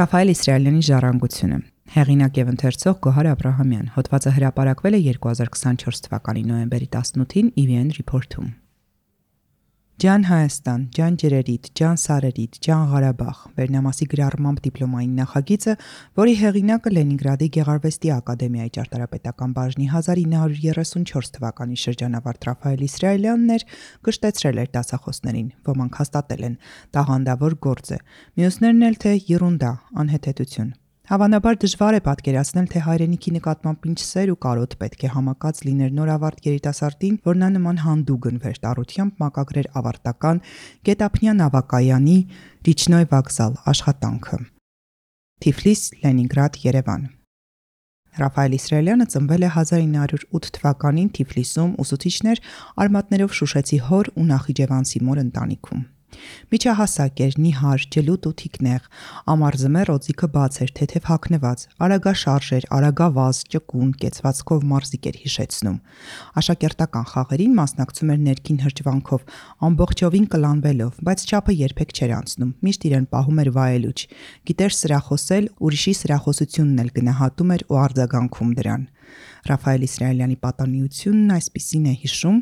Ռաֆայել Իսրայելյանի ժառանգությունը։ Հեղինակ եւ ընթերցող Գոհար Աբրահամյան։ Հոդվածը հրապարակվել է 2024 թվականի նոյեմբերի 18-ին EVN Report-ում։ Ջան Հայաստան, ջան ջրերիդ, ջան սարերիդ, ջան Ղարաբաղ վերնամասի գրառմամբ դիպլոմային նախագիծը, որի հեղինակը Լենինգրադի Գեղարվեստի ակադեմիայի ճարտարապետական բաժնի 1934 թվականի շրջանավարտ Ռաֆայել Իսրայելյանն էր, կշտեցրել էր դասախոսներին, ոմանք հաստատել են, տաղանդավոր գործ է, մյուսներն էլ թե յիրունդա, անհեթեթություն։ Հավանաբար դժվար է պատկերացնել, թե հայրենիքի նկատմամբ ինչ սեր ու կարոտ պետք է համակած լիներ նորավարտ երիտասարդին, որ նա նման հանդուգն վերտարությամբ մակագրեր ավարտական Գետափնյա նավակայանի Ռիչնոյ վокзал աշխատանքը։ Թիֆլիս, Լենինգրադ, Երևան։ Ռաֆայել Իսրայելյանը ծնվել է 1908 թվականին Թիֆլիսում ուսուցիչներ արմատներով շուշեցի հոր ու նախիջևանցի մոր ընտանիքում։ Միջահասակ էր, նիհար, ջլուտ ու թիկնեղ, ամառձմեռ օձիքը բաց էր, թեթև հագնված, արագաշարժ էր, արագավազ, ճկուն, կեցվածքով մարզիկ էր հիշեցնում։ Աշակերտական խաղերին մասնակցում էր ներքին հրճվանքով, ամբողջովին կլանվելով, բայց չափը երբեք չէր անցնում, միշտ իրեն պահում էր վայելուչ, գիտեր սրախոսել, ուրիշի սրախոսությունն էլ գնահատում էր ու արձագանքում դրան։ Ռաֆայել Իսրայելյանի պատանիությունն այսպիսին է հիշում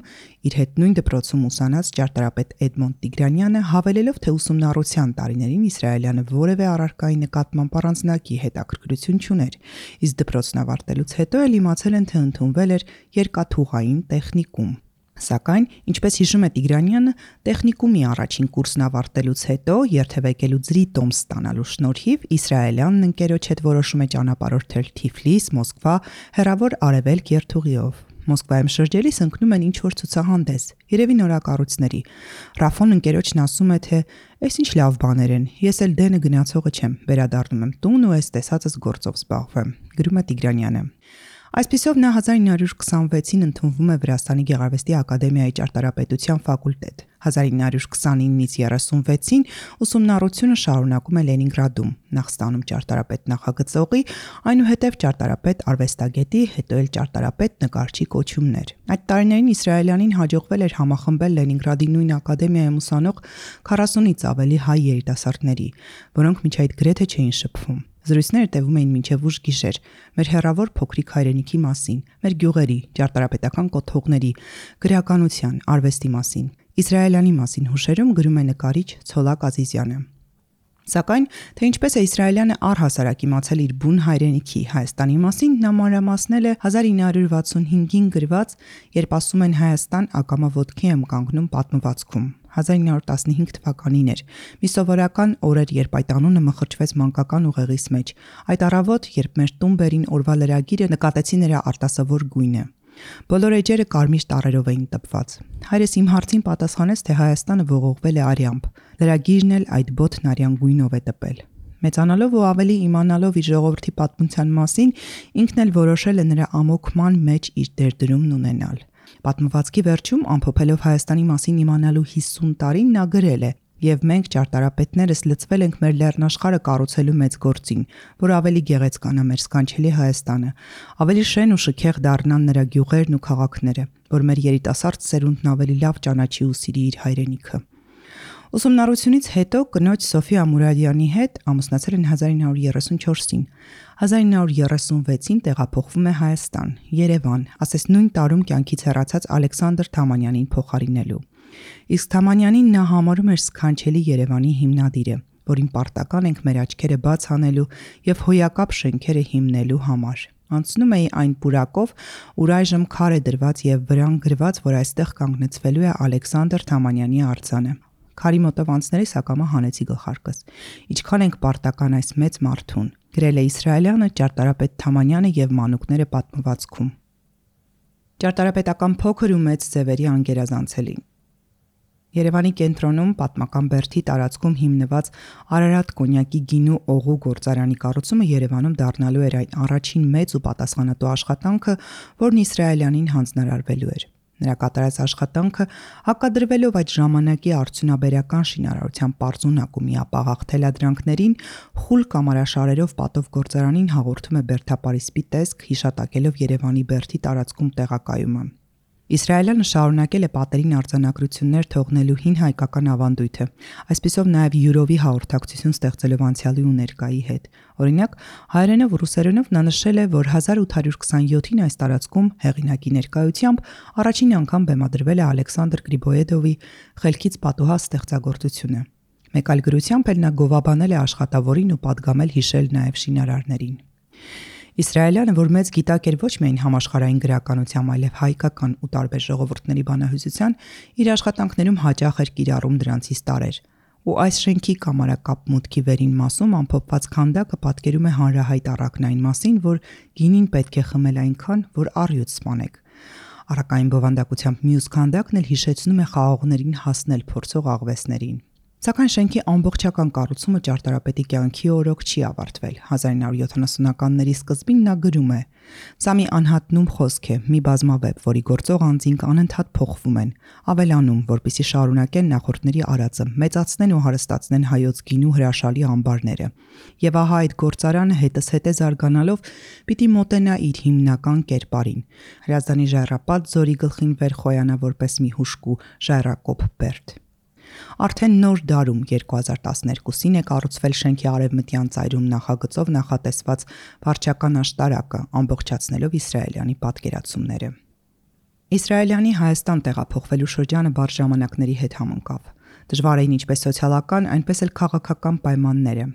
իր հետ նույն դպրոցում ուսանած ճարտարապետ Էդմոնդ Տիգրանյանը, հավելելով, թե ուսումնառության տարիներին Իսրայելյանը որևէ առարկայի նկատմամբ առանձնակի հետաքրքրություն չուներ, իսկ դպրոցն ավարտելուց հետո էլ իմացել են, թե ընդունվել էր երկաթուղային տեխնիկում։ Սակայն, ինչպես հիշում է Տիգրանյանը, տեխնիկումի առաջին կուրսն ավարտելուց հետո, երթևեկելու ձրի տոմս ստանալու շնորհիվ, Իսրայելյանն ընկերոջ հետ որոշում է ճանապարհորդել Թիֆլիս, Մոսկվա, հեռավոր Արևելք երթուղիով։ Մոսկվայում շրջելիս ընկնում են ինչ-որ ցուցահանդես, երևի նորակառույցների։ Ռաֆոն ընկերոջն ասում է, թե «Էս ինչ լավ բաներ են, ես էլ դենը գնացողը չեմ, վերադառնում եմ տուն ու այս տեսածս գործով զբաղվեմ», գրում է Տիգրանյանը։ Այսպիսով նա 1926-ին ընդունվում է Վրաստանի Գեղարվեստի ակադեմիայի ճարտարապետության ֆակուլտետ։ 1929-ից 36-ին ուսումնառությունը շարունակում է Լենինգրադում, նախ ստանում ճարտարապետ նախագծողի, այնուհետև ճարտարապետ արվեստագետի, հետո էլ ճարտարապետ նկարչի կոչումներ։ Այդ տարիներին Իսրայելյանին հաջողվել էր համախմբել Լենինգրադի նույն ակադեմիայում ուսանող 40-ից ավելի հայ երիտասարդների, որոնք մինչ այդ գրեթե չէին շփվում։ Զրույցները տևում էին մինչև ուշ գիշեր, մեր հեռավոր փոքրիկ հայրենիքի մասին, մեր գյուղերի, ճարտարապետական կոթողների, գրականության, արվեստի մասին, Իսրայելյանի մասին հուշերում գրում է նկարիչ Ցոլակ Ազիզյանը։ Սակայն, թե ինչպես է Իսրայելյանը առհասարակ իմացել իր բուն հայրենիքի Հայաստանի մասին, նա մանրամասնել է 1965-ին գրված «Երբ ասում են Հայաստան, ակամա ոտքի եմ կանգնում» պատմվածքում։ 1915 թվականին էր։ Մի սովորական օր էր, երբ այդ անունը մխրճվեց մանկական ուղեղիս մեջ։ Այդ առավոտ, երբ մեր տուն բերին օրվա լրագիրը, նկատեցի նրա արտասովոր գույնը։ Բոլոր էջերը կարմիր տառերով էին տպված։ Հայրս իմ հարցին պատասխանեց, թե Հայաստանը ողողվել է արյամբ։ Լրագիրն էլ այդ բոթն արյան գույնով է տպել։ Մեծանալով ու ավելի իմանալով իր ժողովրդի պատմության մասին, ինքն էլ որոշել է նրա ամոքման մեջ իր դերդրումն ունենալ։ Պատմվածքի վերջում, ամփոփելով Հայաստանի մասին իմանալու 50 տարին, նա գրել է. «Եվ մենք ճարտարապետներս լծվել ենք մեր լեռնաշխարհը կառուցելու մեծ գործին, որ ավելի գեղեցկանա մեր սքանչելի Հայաստանը, ավելի շեն ու շքեղ դառնան նրա գյուղերն ու քաղաքները, որ մեր երիտասարդ սերունդն ավելի լավ ճանաչի ու սիրի իր հայրենիքը»։ Ուսումնառությունից հետո կնոջ Սոֆի Ամուրադյանի հետ ամուսնացել են 1934-ին։ 1936-ին տեղափոխվում է Հայաստան, Երևան, ասես նույն տարում կյանքից հեռացած Ալեքսանդր Թամանյանին փոխարինելու։ Իսկ Թամանյանին նա համարում էր սքանչելի Երևանի հիմնադիրը, որին պարտական ենք մեր աչքերը բաց անելու եւ հոյակապ շենքերը հիմնելու համար։ Անցնում էի այն պուրակով, ուր այժմ քար է դրված եւ վրան գրված, որ այստեղ կանգնեցվելու է Ալեքսանդր Թամանյանի արձանը։ Քարի մոտով անցնելիս ակամա հանեցի գլխարկս։ Ինչքան ենք պարտական այս մեծ մարդուն, գրել է Իսրայելյանը, ճարտարապետ Թամանյանը եւ մանուկները պատմվածքում։ Ճարտարապետական փոքր ու մեծ ձևերի անգերազանցելին։ Երևանի կենտրոնում պատմական Բերդի տարածքում հիմնված Արարատ կոնյակի գինու օղու գործարանի կառուցումը Երևանում դառնալու էր այն առաջին մեծ ու պատասխանատու աշխատանքը, որն Իսրայելյանին հանձնարարվելու էր։ Նրա կատարած աշխատանքը հակադրվելով այդ ժամանակի արդյունաբերական շինարարության պարզունակ ու միապաղաղ թելադրանքներին, խուլ կամարաշարերով պատով գործարանին հաղորդում է բերդապարիսպի տեսք, հիշատակելով Երևանի Բերդի տարածքում տեղակայումը։ Իսրայելը շարունակել է պատերին արձանագրություններ թողնելու հին հայկական ավանդույթը, այսպիսով նաև յուրովի հաղորդակցություն ստեղծելով անցյալի ու ներկայի հետ։ Օրինակ, հայերենով ու ռուսերենով նա նշել է, որ 1827-ին այս տարածքում հեղինակի ներկայությամբ առաջին անգամ բեմադրվել է Ալեքսանդր Գրիբոյեդովի «Խելքից պատուհաս» ստեղծագործությունը։ Մեկ այլ գրությամբ էլ նա գովաբանել է աշխատավորին ու պատգամել հիշել նաև շինարարներին։ Իսրայելյանը, որ մեծ գիտակ էր ոչ միայն համաշխարհային գրականությամբ, այլև հայկական ու տարբեր ժողովուրդների բանահյուսության, իր աշխատանքներում հաճախ էր կիրառում դրանցից տարրեր։ Ու այս շենքի կամարակապ մուտքի վերին մասում ամփոփված քանդակը պատկերում է հանրահայտ առակն այն մասին, որ գինին պետք է խմել այնքան, որ առյուծ սպանեք։ Առակային բովանդակությամբ մյուս քանդակն էլ հիշեցնում է խաղողներին հասնել փորձող աղվեսներին։ Սակայն շենքի ամբողջական կառուցումը ճարտարապետի կյանքի օրոք չի ավարտվել։ 1970-ականների սկզբին նա գրում է. «Սա մի անհատնում խոսք է, մի բազմավեբ, որի գործող անձինք անընդհատ փոխվում են, ավելանում, որպեսզի շարունակեն նախորդների արածը, մեծացնեն ու հարստացնեն հայոց գինու հրաշալի ամբարները։ Եվ ահա այդ գործարանը հետզհետե զարգանալով պիտի մոտենա իր հիմնական կերպարին։ Հրազդանի ժայռապատ ձորի գլխին վեր խոյանա որպես մի հուժկու ժայռակոպ բերդ»։ Արդեն նոր դարում 2012-ին է կառուցվել շենքի արևմտյան ծայրում նախագծով նախատեսված վարչական աշտարակը, ամբողջացնելով իսրայելյանի պատկերացումները։ Իսրայելյանի Հայաստան տեղափոխվելու շրջանը բարդ ժամանակների հետ համընկավ։ Դժվար էին ինչպես սոցիալական, այնպես էլ քաղաքական պայմանները։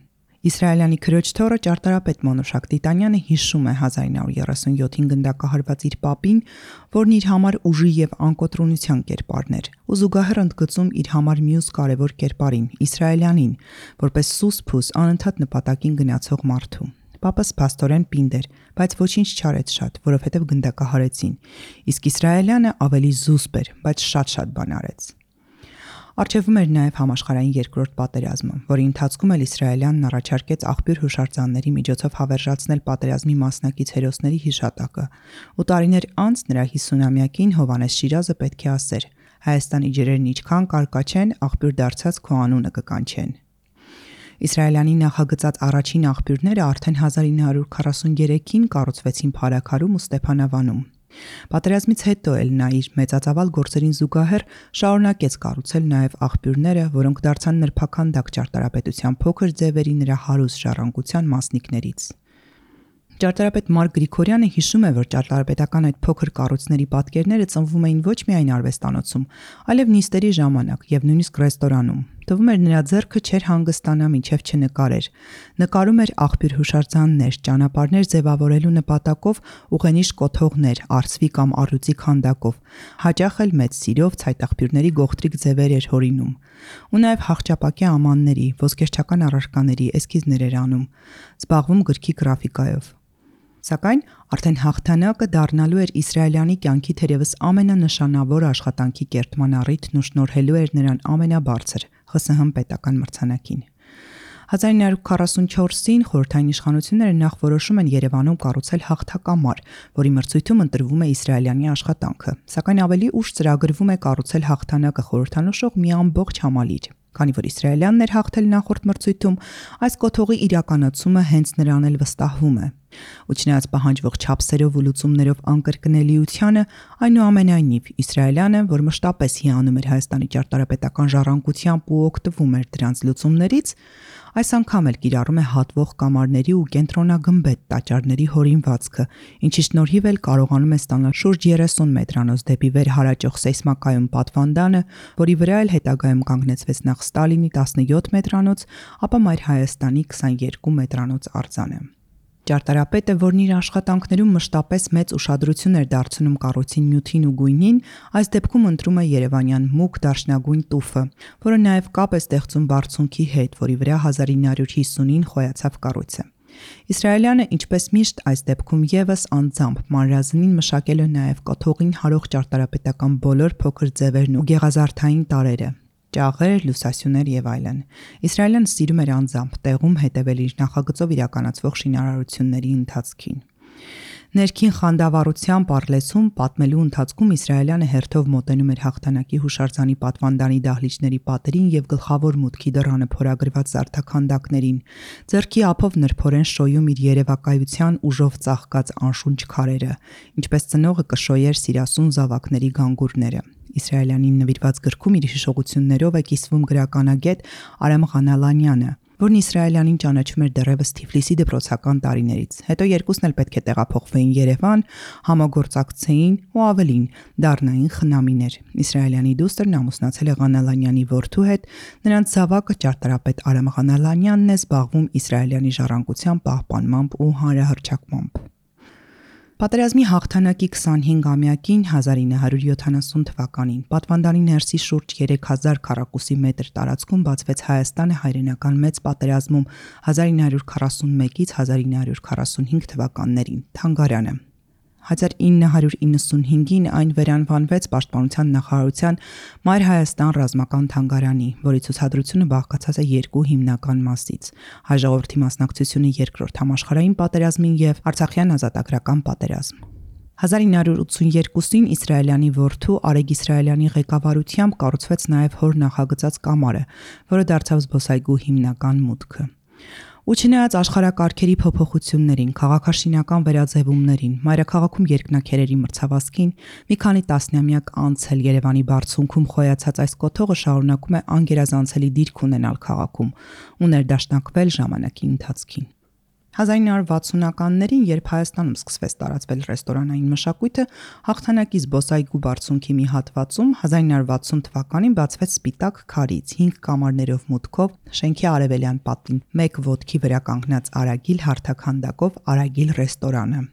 Իսրայելյանի քրոջ թոռը ճարտարապետ Մոնոշակ Տիտանյանը հիշում է 1937-ին գնդակահարված իր պապին, որն իր համար ուժի եւ անկոտրունության կերպարն էր, ու զուգահեռ ընդգծում իր համար մյուս կարևոր կերպարին՝ իսրայելյանին, որպես սուսփուս անընդհատ նպատակին գնացող մարդու։ Պապս փաստորեն պինդ էր, բայց ոչինչ չարեց շատ, որովհետև գնդակահարեցին, իսկ իսրայելյանը ավելի զուսպ էր, բայց շատ բան արեց։ Առջևում էր նաև համաշխարհային երկրորդ պատերազմը, որի ընթացքում էլ իսրայելյանն առաջարկեց աղբյուր հուշարձանների միջոցով հավերժացնել պատերազմի մասնակից հերոսների հիշատակը, ու տարիներ անց նրա 50-ամյակին Հովհաննես Շիրազը պետք է ասեր. «Հայաստանի ջրերն ինչքան կարկաչեն, աղբյուր դարձած քո անունը կկանչեն»։ Իսրայելյանի նախագծած առաջին աղբյուրները արդեն 1943-ին կառուցվեցին Փարաքարում ու Ստեփանավանում։ Պատերազմից հետո էլ նա իր մեծածավալ գործերին զուգահեռ շարունակեց կառուցել նաև աղբյուրները, որոնք դարձան նրբաքանդակ ճարտարապետության փոքր ձևերի նրա հարուստ ժառանգության մասնիկներից։ Ճարտարապետ Մարկ Գրիգորյանը հիշում է, որ ճարտարապետական այդ փոքր կառույցների պատկերները ծնվում էին ոչ միայն արվեստանոցում, այլև նիստերի ժամանակ եւ նույնիսկ ռեստորանում։ Թվում էր նրա ձեռքը չէր հանգստանա մինչև չնկարեր։ Նկարում էր աղբյուր հուշարձաններ, ճանապարհներ ձևավորելու նպատակով ուղենիշ կոթողներ, արծվի կամ առյուծի քանդակով։ Հաճախ էլ մեծ սիրով ցայտաղբյուրների գողտրիկ ձևեր էր հորինում։ Ու նաև հաղճապակի ամանների, ոսկերչական առարկաների էսքիզներ էր անում, զբաղվում գրքի գրաֆիկայով։ Սակայն արդեն հաղթանակը դառնալու էր իսրայելյանի կյանքի թերևս ամենանշանավոր աշխատանքի կերտման առիթն ու շնորհելու էր նրան ամենաբարձր ԽՍՀՄ պետական մրցանակին։ 1944-ին խորհրդային իշխանությունները նախ որոշում են Երևանում կառուցել հաղթակամար, որի մրցույթում ընտրվում է իսրայելյանի աշխատանքը, սակայն ավելի ուշ ծրագրվում է կառուցել հաղթանակը խորհրդանշող մի ամբողջ համալիր։ Քանի որ իսրայելյանն էր հաղթել նախորդ մրցույթում, այս կոթողի իրականացումը հենց նրան էլ վստահվում է։ Ու չնայած պահանջվող չափսերով ու լուծումներով անկրկնելիությանը, այնուամենայնիվ իսրայելյանը, որ մշտապես հիանում էր Հայաստանի ճարտարապետական ժառանգությամբ ու օգտվում էր դրանց լուծումներից, այս անգամ էլ կիրառում է հատվող կամարների ու կենտրոնագմբեթ տաճարների հորինվածքը, ինչի շնորհիվ էլ կարողանում է ստանալ շուրջ 30 մետրանոց դեպի վեր հարաճող սեյսմակայուն պատվանդանը, որի վրա էլ հետագայում կանգնեցվեց նախ Ստալինի 17 մետրանոց, ապա Մայր Հայաստանի 22 մետրանոց արձանը։ Ճարտարապետը, որն իր աշխատանքներում մշտապես մեծ ուշադրություն էր դարձնում կառույցի նյութին ու գույնին, այս դեպքում ընտրում է երևանյան մուգ դարչնագույն տուֆը, որը նաև կապ է ստեղծում բարձունքի հետ, որի վրա 1950-ին խոյացավ կառույցը։ Իսրայելյանը, ինչպես միշտ այս դեպքում եւս անձամբ մանրազնին մշակել է նաև կոթողին հարող ճարտարապետական բոլոր փոքր ձևերն ու գեղազարդային տարրերը։ Ճաղեր, լուսասյուներ եւ այլն։ Իսրայելյանը սիրում էր անձամբ տեղում հետևել իր նախագծով իրականացվող շինարարությունների ընթացքին։ Ներքին խանդավառությամբ առլեցում պատմելու ընթացքում Իսրայելյանը հերթով մոտենում էր հաղթանակի հուշարձանի պատվանդանի դահլիճների պատերին եւ գլխավոր մուտքի դռանը փորագրված զարդաքանդակներին, ձեռքի ափով նրբորեն շոյում իր երևակայության ուժով ծաղկած անշունչ քարերը, ինչպես ծնողը կշոյեր սիրասուն զավակների գանգուրները։ Իսրայելյանին նվիրված գրքում իր հիշողություններով է կիսվում գրականագետ Արամ Ղանալանյանը, որն Իսրայելյանին ճանաչում էր դեռևս Թիֆլիսի դպրոցական տարիներից։ Հետո երկուսն էլ պետք է տեղափոխվեին Երևան, համագործակցեին ու ավելին դառնային խնամիներ։ Իսրայելյանի դուստրն ամուսնացել է Ղանալանյանի որդու հետ, նրանց զավակը ճարտարապետ Արամ Ղանալանյանն է զբաղվում Իսրայելյանի ժառանգության պահպանմամբ ու հանրահռչակմամբ։ Պատերազմի հաղթանակի 25-ամյակին 1970 թվականին պատվանդանի ներսի շուրջ 3000 քառակուսի մետր տարածքում բացվեց Հայաստանը հայրենական մեծ պատերազմում 1941-ից 1945 թվականներին թանգարանը։ 1995-ին այն վերանվանվեց Պաշտպանության նախարարության Մայր Հայաստան ռազմական թանգարանի, որի ցուցադրությունը բաղկացած է երկու հիմնական մասից՝ հայ ժողովրդի մասնակցությունը Երկրորդ համաշխարհային պատերազմին եւ Արցախյան ազատագրական պատերազմ։ 1982-ին Իսրայելյանի որդու Արեգ Իսրայելյանի ղեկավարությամբ կառուցվեց նաև հոր նախագծած կամարը, որը դարձավ զբոսայգու հիմնական մուտքը։ Ու չնայած աշխարհակարգերի փոփոխություններին, քաղաքաշինական վերաձևումներին, մայրաքաղաքում երկնաքերերի մրցավազքին, մի քանի տասնամյակ անց էլ Երևանի բարձունքում խոյացած այս կոթողը շարունակում է անգերազանցելի դիրք ունենալ քաղաքում ու ներդաշնակվել ժամանակի ընթացքին։ 1960-ականներին, երբ Հայաստանում սկսվեց տարածվել ռեստորանային մշակույթը, հաղթանակի զբոսայգու բարձունքի մի հատվածում 1960 թվականին բացվեց սպիտակ քարից 5 կամարներով մուտքով շենքի արևելյան պատին 1 ոտքի վրա կանգնած Արագիլ հարթաքանդակով Արագիլ ռեստորանը։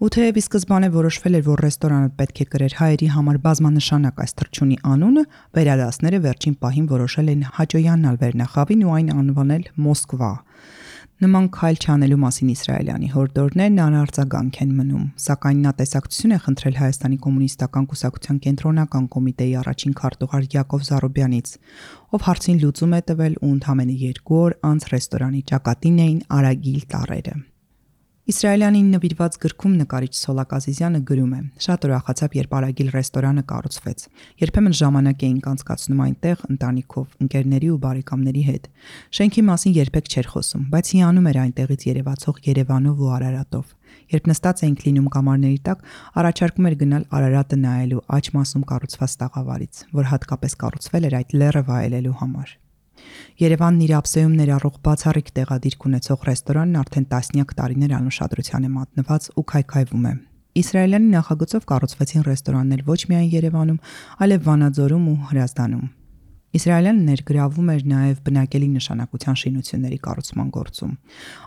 Ու թեև ի սկզբանե որոշվել էր, որ ռեստորանը պետք է կրեր հայերի համար բազմանշանակ այս թռչունի անունը, վերադասները վերջին պահին որոշել են հաճոյանալ վերնախավին ու այն անվանել Մոսկվա։ Նման քայլ չանելու մասին Իսրայելյանի հորդորներն անարձագանք են մնում, սակայն նա տեսակցություն է խնդրել Հայաստանի կոմունիստական կուսակցության կենտրոնական կոմիտեի առաջին քարտուղար Յակով Զարոբյանից, ով հարցին լուծում է տվել ու ընդամենը 2 օր անց ռեստորանի ճակատին էին Արագիլ տառերը։ Իսրայելյանին նվիրված գրքում նկարիչ Սոլակ Ազիզյանը գրում է. «Շատ ուրախացավ, երբ Արագիլ ռեստորանը կառուցվեց։ Երբեմն ժամանակ էինք անցկացնում այնտեղ ընտանիքով, ընկերների ու բարեկամների հետ։ Շենքի մասին երբեք չէր խոսում, բայց հիանում էր այնտեղից երևացող Երևանով ու Արարատով։ Երբ նստած էինք լինում կամարների տակ, առաջարկում էր գնալ Արարատը նայելու աջ մասում կառուցված տաղավարից, որ հատկապես կառուցվել էր այդ լեռը վայելելու համար։ Երևանն իր ափսեում ներառող բացառիկ տեղադիրք ունեցող ռեստորանն արդեն տասնյակ տարիներ անուշադրության է մատնված ու քայքայվում է։ Իսրայելյանի նախագծով կառուցվեցին ռեստորաններ ոչ միայն Երևանում, այլև Վանաձորում ու Հրազդանում։ Իսրայելյանը ներգրավում էր նաև բնակելի նշանակության շինությունների կառուցման գործում։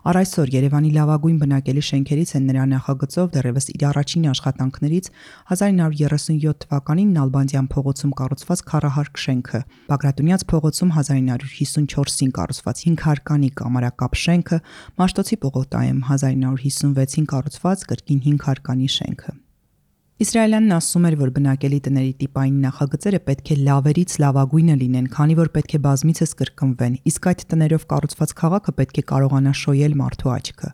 Առ այսօր Երևանի լավագույն բնակելի շենքերից են նրա նախագծով դեռևս իր առաջին աշխատանքներից 1937 թվականին Նալբանդյան փողոցում կառուցված քառահարկ շենքը, Բագրատունյաց փողոցում 1954-ին կառուցված 5 հարկանի կամարակապ շենքը, Մաշտոցի պողոտայում 1956-ին կառուցված կրկին 5 հարկանի շենքը։ Իսրայելյանն ասում էր, որ բնակելի տների տիպային նախագծերը պետք է լավերից լավագույնը լինեն, քանի որ պետք է բազմիցս կրկնվեն, իսկ այդ տներով կառուցված քաղաքը պետք է կարողանա շոյել մարդու աչքը։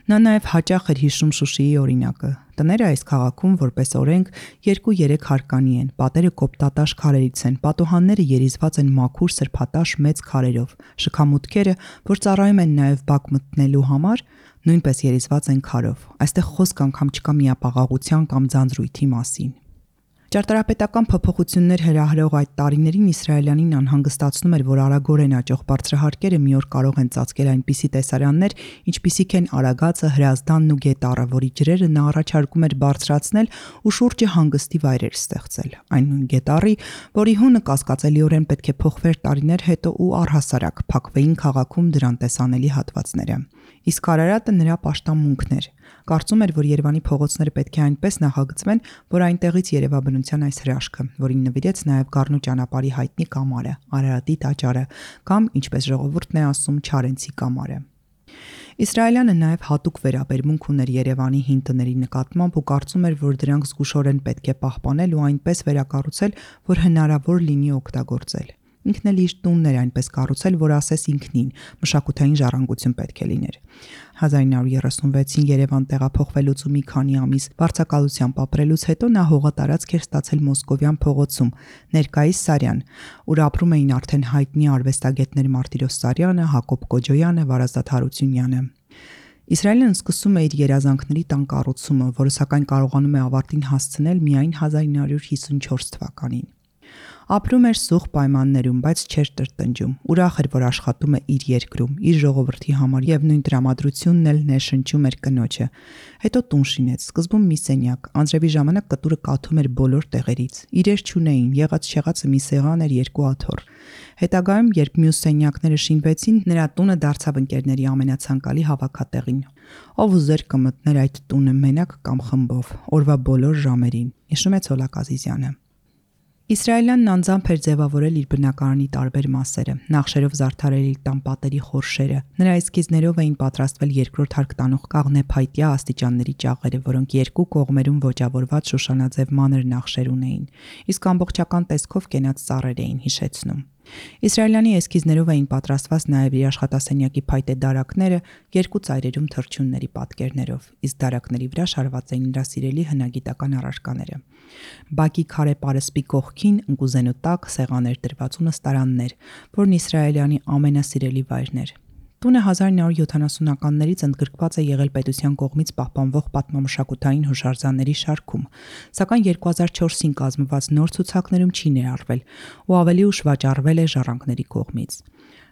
Նա նաև հաճախ էր հիշում Շուշիի օրինակը։ Տները այս քաղաքում որպես օրենք 2-3 հարկանի են, պատերը կոպտատաշ քարերից են, պատուհանները երիզված են մաքուր սրբատաշ մեծ քարերով, շքամուտքերը, որ ծառայում են նաև բակ մտնելու համար, նույնպես երիզված են քարով։ Այստեղ խոսք անգամ չկա միապաղաղության կամ ձանձրույթի մասին։ Ճարտարապետական փոփոխություններ հրահրող այդ տարիներին Իսրայելյանին անհանգստացնում էր, որ արագորեն աճող բարձրահարկերը մի օր կարող են ծածկել այնպիսի տեսարաններ, ինչպիսիք են Արագածը, Հրազդանն ու Գետառը, որի ջրերը նա առաջարկում էր բարձրացնել ու շուրջը հանգստի վայրեր ստեղծել։ Այն նույն Գետառի, որի հունը կասկածելիորեն պետք է փոխվեր տարիներ հետո ու առհասարակ փակվեին քաղաքում դրան տեսանելի հատվածները։ Իսկ Արարատը նրա պաշտամունքն էր։ Կարծում էր, որ Երևանի փողոցները պետք է այնպես նախագծվեն, որ այնտեղից երևա բնության այս հրաշքը, որին նվիրեց նաև Գառնու ճանապարհի հայտնի կամարը, Արարատի տաճարը կամ, ինչպես ժողովուրդն է ասում, Չարենցի կամարը։ Իսրայելյանը նաև հատուկ վերաբերմունք ուներ Երևանի հին տների նկատմամբ ու կարծում էր, որ դրանք զգուշորեն պետք է պահպանել ու այնպես վերակառուցել, որ հնարավոր լինի օգտագործել։ Ինքն էլ իր տունն էր այնպես կառուցել, որ ասես ինքնին մշակութային ժառանգություն պետք է լիներ։ 1936-ին Երևան տեղափոխվելուց ու մի քանի ամիս վարձակալությամբ ապրելուց հետո նա հողատարածք էր ստացել Մոսկովյան փողոցում, ներկայիս Սարյան, ուր ապրում էին արդեն հայտնի արվեստագետներ Մարտիրոս Սարյանը, Հակոբ Կոջոյանը, Վարազդատ Հարությունյանը։ Իսրայելն սկսում է իր երազանքների տան կառուցումը, որը սակայն կարողանում է ավարտին հասցնել միայն 1954 թվականին։ Ապրում էր սուղ պայմաններում, բայց չէր տրտնջում։ Ուրախ էր, որ աշխատում է իր երկրում, իր ժողովրդի համար եւ նույն տրամադրությունն էլ ներշնչում էր կնոջը։ Հետո տուն շինեց, սկզբում մի սենյակ, անձրևի ժամանակ կտուրը կաթում էր բոլոր տեղերից։ Իրեր չունեին, եղած-շեղածը մի սեղան էր, երկու աթոռ։ Հետագայում, երբ մյուս սենյակները շինվեցին, նրա տունը դարձավ ընկերների ամենացանկալի հավաքատեղին։ Ով ուզեր կմտներ այդ տունը մենակ կամ խմբով, օրվա բոլոր ժամերին, հիշում է Ցոլակ Ազիզյանը։ Իսրայելյանն անձամբ էր ձևավորել իր բնակարանի տարբեր մասերը, նախշերով զարդարել իր տան պատերի խորշերը։ Նրա էսքիզներով էին պատրաստվել երկրորդ հարկ տանող կաղնեփայտյա աստիճանների ճաղերը, որոնք երկու կողմերում ոճավորված շուշանաձև մանր նախշեր ունեին, իսկ ամբողջական տեսքով կենաց ծառեր էին հիշեցնում։ Իսրայելյանի էսքիզներով էին պատրաստված նաև իր աշխատասենյակի փայտե դարակները երկու ծայրերում թռչունների պատկերներով, իսկ դարակների վրա շարված էին նրա սիրելի հնագիտական առարկաները։ Բակի քարե պարսպի կողքին ընկուզենու տակ սեղաներ դրված ու նստարաններ, որն Իսրայելյանի ամենասիրելի վայրն էր։ Տունը 1970-ականներից ընդգրկված է եղել պետության կողմից պահպանվող պատմամշակութային հուշարձանների շարքում, սակայն 2004-ին կազմված նոր ցուցակներում չի ներառվել ու ավելի ուշ վաճառվել է ժառանգների կողմից։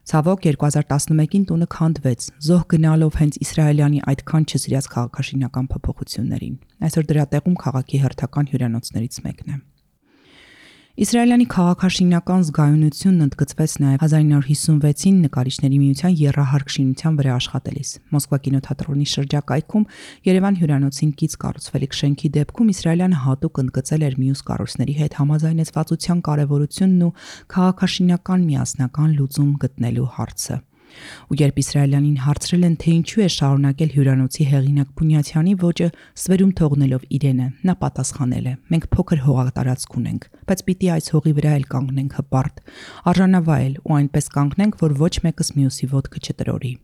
Ցավոք 2011-ին տունը քանդվեց, զոհ գնալով հենց իսրայելյանի այդքան չսիրած քաղաքաշինական փոփոխություններին։ Այսօր դրա տեղում քաղաքի հերթական հյուրանոցներից մեկն է։ Իսրայելյանի քաղաքաշինական զգայունությունն ընդգծվեց նաև 1956-ին նկարիչների միության եռահարկ շինության վրա աշխատելիս։ Մոսկվա կինոթատրոնի շրջակայքում Երևան հյուրանոցին կից կառուցվելիք շենքի դեպքում Իսրայելյանը հատուկ ընդգծել էր մյուս կառույցների հետ համաձայնեցվածության կարևորությունն ու քաղաքաշինական միասնական լուծում գտնելու հարցը։ Ու երբ Իսրայելյանին հարցրել են, թե ինչու է շարունակել հյուրանոցի հեղինակ Փունյացյանի ոճը ստվերում թողնելով իրենը, նա պատասխանել է. «Մենք փոքր հողատարածք ունենք, բայց պիտի այս հողի վրա էլ կանգնենք հպարտ, արժանավայել ու այնպես կանգնենք, որ ոչ մեկս մյուսի ոտքը չտրորի»։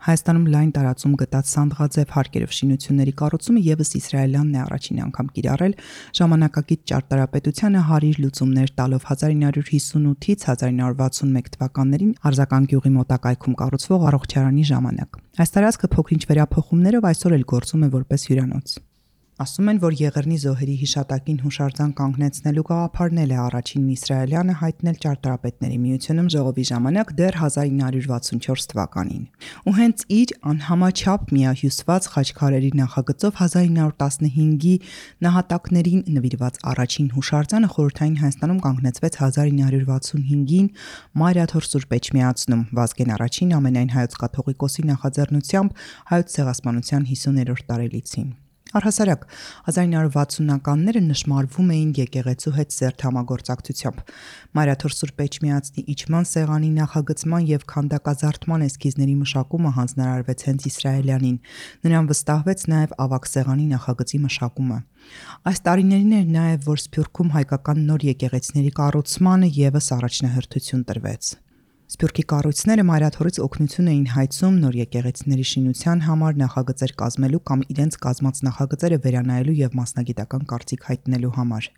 Հայաստանում լայն տարածում գտած Սանդղաձև հարկերով շինությունների կառուցումը ևս իսրայելյանն է առաջին անգամ կիրառել ժամանակակից ճարտարապետությանը հարիր լուծումներ տալով 1958-ից 1961 թվականներին Արձական գյուղի մոտակայքում կառուցվող առողջարանի ժամանակ։ Այս տարածքը փոքրինչ վերափոխումներով այսօր էլ գործում է որպես հյուրանոց։ Ասում են, որ Եղեռնի զոհերի հիշատակին հուշարձան կանգնեցնելու գաղափարն էլ է առաջինն իսրայելյանը հայտնել ճարտարապետների միությունում ժողովի ժամանակ դեռ 1964 թվականին։ Ու հենց իր անհամաչափ միահյուսված խաչքարերի նախագծով 1915-ի նահատակներին նվիրված առաջին հուշարձանը խորհրդային Հայաստանում կանգնեցվեց 1965-ին Մայրաթոր Սուրբ Էջմիածնում Վազգեն I ամենայն հայոց կաթողիկոսի նախաձեռնությամբ հայոց ցեղասպանության 50-րդ տարելիցին։ Առհասարակ 1960-ականները նշмарվում էին եկեղեցու հետ սերտ համագործակցությամբ։ Մայրաթոր Սուրբ Էջմիածնի իջման սեղանի նախագծման եւ քանդակազարդման էսքիզների մշակումը հանձնարարվեց հենց իսրայելյանին։ Նրան վստահվեց նաեւ ավագ սեղանի նախագծի մշակումը։ Այս տարիներին էր նաեւ, որ Սփյուռքում հայկական նոր եկեղեցիների կառուցմանը եւս առաջնահերթություն տրվեց։ Սփյուռքի կառույցները Մայրաթորից օգնություն էին հայցում նոր եկեղեցիների շինության համար նախագծեր կազմելու կամ իրենց կազմած նախագծերը վերանայելու եւ մասնագիտական կարծիք հայտնելու համար։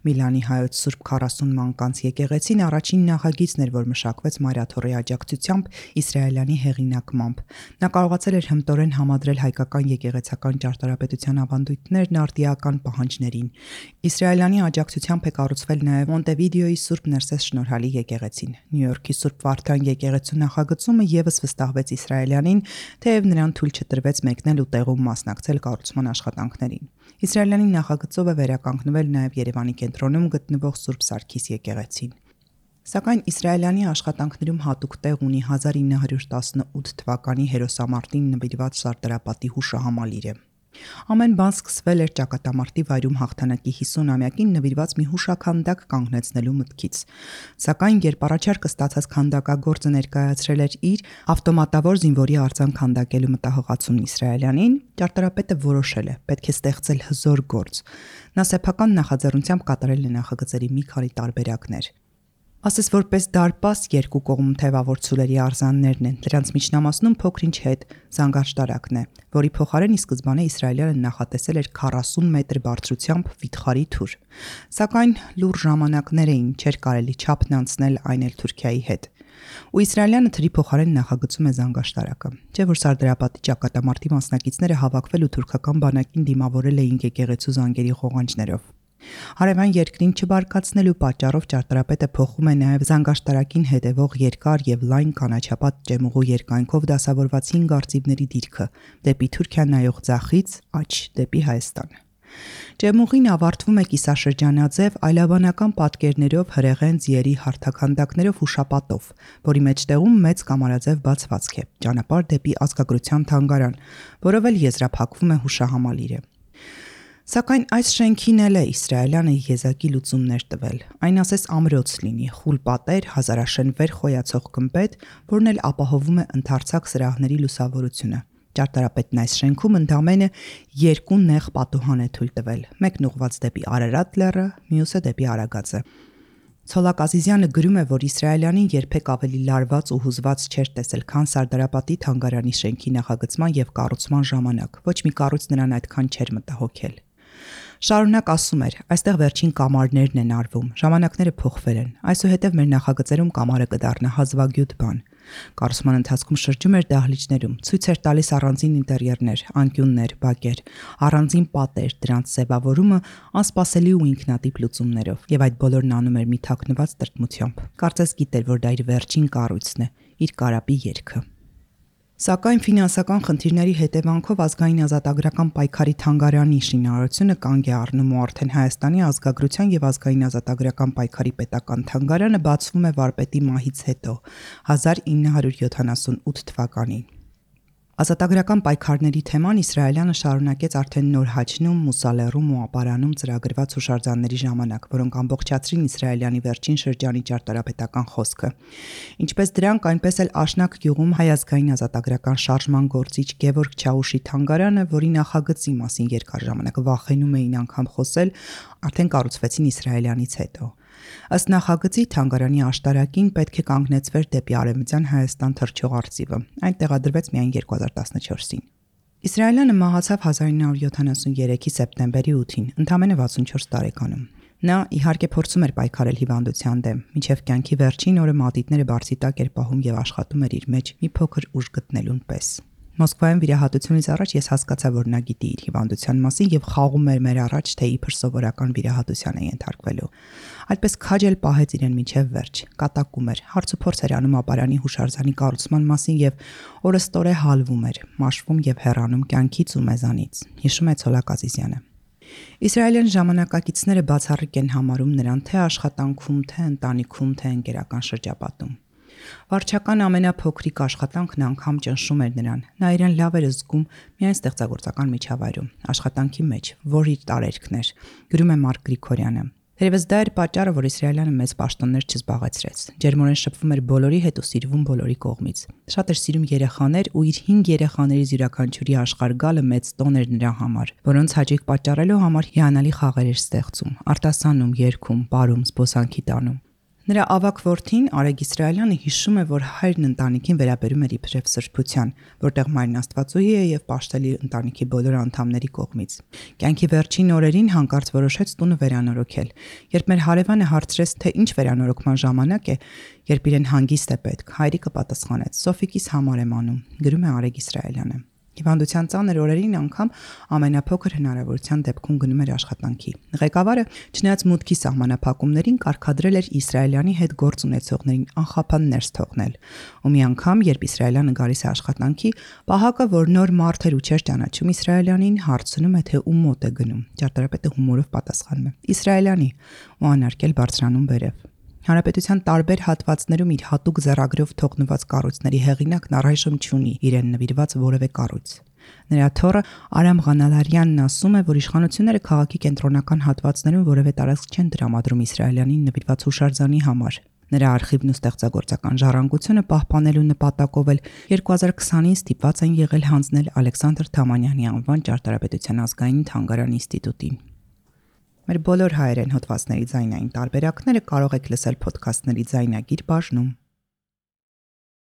Միլանի հայոց Սուրբ 40 մանկանց եկեղեցին առաջին նախագիծն էր, որ մշակվեց Մայրաթորի աջակցությամբ իսրայելյանի հեղինակմամբ։ Նա կարողացել էր հմտորեն համադրել հայկական եկեղեցական ճարտարապետության ավանդույթներն արտիական պահանջներին։ Իսրայելյանի աջակցությամբ է կառուցվել նաեւ Մոնտեվիդեոյի Սուրբ Ներսես Շնորհալի եկեղեցին։ Նյու Յորքի Սուրբ Վարդան եկեղեցու նախագծումը եւս վստահվեց իսրայելյանին, թեև նրան թույլ չտրվեց մեկնել ու տեղում մասնակցել կառուցման աշխատանքներին։ Իսրայելյանի նախագծով է վերականգնվել նաեւ Երևանի կենտրոնում գտնվող Սուրբ Սարգիս եկեղեցին։ Սակայն իսրայելյանի աշխատանքներում հատուկ տեղ ունի 1918 թվականի հերոսամարտին նվիրված Սարդարապատի հուշահամալիրը։ Ամեն բան սկսվել էր ճակատամարտի վայրում հաղթանակի 50-ամյակին նվիրված մի հուշաքանդակ կանգնեցնելու մտքից։ Սակայն երբ առաջարկը ստացած քանդակագործը ներկայացրել էր իր ավտոմատավոր զինվորի արձան քանդակելու մտահղացումն իսրայելյանին, ճարտարապետը որոշել է պետք է ստեղծել հզոր գործ։ Նա սեփական նախաձեռնությամբ կատարել է նախագծերի մի քանի տարբերակներ։ Ասես որպես դարպաս երկու կողմ թևավոր ցուլերի արձաններն են, դրանց միջնամասնում փոքրինչ հետ զանգաշտարակն է, որի փոխարեն ի սկզբանե իսրայելյանը նախատեսել էր 40 մետր բարձրությամբ վիթխարի թուր։ Սակայն լուր ժամանակներ էին, չէր կարելի չափն անցնել այն էլ Թուրքիայի հետ։ Ու իսրայելյանը թրի փոխարեն նախագծում է զանգաշտարակը։ Չէ՞ որ Սարդարապետի ճակատամարտի մասնակիցները հավաքվել ու թուրքական բանակին դիմավորել էին եկեղեցու զանգերի ղողանջներով։ Հարևան երկրին չբարկացնելու պատճառով ճարտարապետը փոխում է նաև զանգաշտարակին հետևող երկար եւ լայն կանաչապատ ճեմուղու երկայնքով դասավորված 5 արծիվների դիրքը դեպի Թուրքիա նայող ձախից աջ դեպի Հայաստան։ Ճեմուղին ավարտվում է կիսաշրջանաձև այլաբանական պատկերներով, հրեղեն ձիերի հարթաքանդակներով ու շապատով, որի մեջտեղում մեծ կամարաձև բացվածք է, ճանապարհ դեպի ազգագրության թանգարան, որով էլ եզրափակվում է հուշահամալիրը։ Սակայն այս շենքին էլ է իսրայելյանը եզակի լուծումներ տվել։ Այն ասես ամրոց լինի, խուլ պատեր, հազարաշենվեր խոյացող գմբեթ, որն էլ ապահովում է ընդարձակ սրահների լուսավորությունը։ Ճարտարապետն այս շենքում ընդամենը 2 նեղ պատուհան է թույլ տվել, մեկն ուղղված դեպի Արարատ լեռը, մյուսը դեպի Արագածը։ Ցոլակ Ազիզյանը գրում է, որ իսրայելյանին երբեք ավելի լարված ու հուզված չէր տեսել, քան Սարդարապետի թանգարանի շենքի նախագծման եւ կառուցման ժամանակ։ Ոչ մի կառույց նրան այդքան չէր մտահոգել։ Շարունակ ասում էր, այստեղ վերջին կամարներն են արվում, ժամանակները փոխվել են, այսուհետև մեր նախագծերում կամարը կդառնա հազվագյուտ բան։ Կառուցման ընթացքում շրջում էր դահլիճներում, ցույց էր տալիս առանձին ինտերիերներ, անկյուններ, բակեր, առանձին պատեր, դրանց ձևավորումը անսպասելի ու ինքնատիպ լուծումներով, եւ այդ բոլորն անում էր մի թաքնված տրտմությամբ։ Կարծես գիտեր, որ դա իր վերջին կառույցն է, իր կարապի երգը։ Սակայն ֆինանսական խնդիրների հետևանքով ազգային ազատագրական պայքարի թանգարանի շինարարությունը կանգ է առնում ու արդեն Հայաստանի ազգագրության եւ ազգային ազատագրական պայքարի պետական թանգարանը բացվում է վարպետի մահից հետո 1978 թվականին։ Ազատագրական պայքարների թեման իսրայելյանը շարունակեց արդեն նոր Հաչնում, Մուսալեռում ու Ապարանում ծրագրված հուշարձանների ժամանակ, որոնք ամբողջացրին իսրայելյանի վերջին շրջանի ճարտարապետական խոսքը։ Ինչպես դրանք, այնպես էլ Աշնակ գյուղում Հայ ազգային ազատագրական շարժման գործիչ Գևորգ Չաուշի թանգարանը, որի նախագծի մասին երկար ժամանակ վախենում էին անգամ խոսել, արդեն կառուցվեցին իսրայելյանից հետո։ Ըստ նախագծի թանգարանի աշտարակին պետք է կանգնեցվեր դեպի արևմտյան Հայաստան թռչող արծիվը։ Այն տեղադրվեց միայն 2014-ին։ Իսրայելյանը մահացավ 1973-ի սեպտեմբերի 8-ին, ընդամենը 64 տարեկանում։ Նա իհարկե փորձում էր պայքարել հիվանդության դեմ, մինչև կյանքի վերջին օրը մատիտները բարձի տակ էր պահում եւ աշխատում էր իր մեջ մի փոքր ուժ գտնելուն պես։ Մոսկվայում վիրահատությունից առաջ ես հասկացա, որ նա գիտի իր հիվանդության մասին եւ խաղում էր մեր առաջ, թե իբր սովորական վիրահատության է ենթարկվելու։ Այդպես քաջ էլ պահեց իրեն մինչև վերջ, կատակում էր, հարց ու փորձ էր անում ապարանի հուշարձանի կառուցման մասին եւ օրըստօրե հալվում էր, մաշվում եւ հեռանում կյանքից ու մեզանից, հիշում է Ցոլակ Ազիզյանը։ Իսրայելյան ժամանակակիցները բացառիկ են համարում նրան թե աշխատանքում, թե ընտանիքում, թե ընկերական շրջապատում։ Վարչական ամենափոքրիկ աշխատանքն անգամ ճնշում էր նրան։ Նա իրեն լավ էր զգում միայն ստեղծագործական միջավայրում, աշխատանքի մեջ, որ իր տարերքն էր, գրում է Մարկ Գրիգորյանը։ Թերևս դա էր պատճառը, որ իսրայելյանը մեծ պաշտոններ չզբաղեցրեց։ Ջերմորեն շփվում էր բոլորի հետ ու սիրվում բոլորի կողմից։ Շատ էր սիրում երեխաներ ու իր 5 երեխաներից յուրաքանչյուրի աշխարհ գալը մեծ տոն էր նրա համար, որոնց հաճույք պատճառելու համար հիանալի խաղեր էր ստեղծում, արտասանում, երգում, պարում, զբոսանքի տանում։ Նրա ավագ որդին Արեգ Իսրայելյանը հիշում է, որ հայրն ընտանիքին վերաբերում էր իբրև սրբության, որտեղ մայրն Աստվածուհի է եւ պաշտելի ընտանիքի բոլոր անդամների կողմից։ Կյանքի վերջին օրերին հանկարծ որոշեց տունը վերանորոգել։ Երբ մեր հարևանը հարցրեց, թե ինչ վերանորոգման ժամանակ է, երբ իրեն հանգիստ է պետք, հայրիկը պատասխանեց. «Սոֆիկիս համար եմ անում», գրում է Արեգ Իսրայելյանը։ Հիվանդության ծանր օրերին անգամ ամենափոքր հնարավորության դեպքում գնում էր աշխատանքի։ Ղեկավարը, չնայած մուտքի սահմանափակումներին, կարգադրել էր իսրայելյանի հետ գործ ունեցողներին անխափան ներս թողնել։ Ու մի անգամ, երբ իսրայելյանը գալիս է աշխատանքի, պահակը, որ նոր մարդ էր ու չէր ճանաչում իսրայելյանին, հարցնում է, թե ում մոտ է գնում։ Ճարտարապետը հումորով պատասխանում է. «Իսրայելյանի», ու անարգել բարձրանում վերև։ Հանրապետության տարբեր հատվածներում իր հատուկ ձեռագրով թողնված կառույցների հեղինակն առայժմ չունի իրեն նվիրված որևէ կառույց։ Նրա թոռը Արամ Ղանալարյանն ասում է, որ իշխանությունները քաղաքի կենտրոնական հատվածներում որևէ տարածք չեն տրամադրում իսրայելյանին նվիրված հուշարձանի համար։ Նրա արխիվն ու ստեղծագործական ժառանգությունը պահպանելու նպատակով էլ 2020-ին ստիպված են եղել հանձնել Ալեքսանդր Թամանյանի անվան ճարտարապետության ազգային թանգարան ինստիտուտին։ Մեր բոլոր հայերեն հոդվածների ձայնային տարբերակները կարող եք լսել ոդքասթների ձայնագիր բաժնում։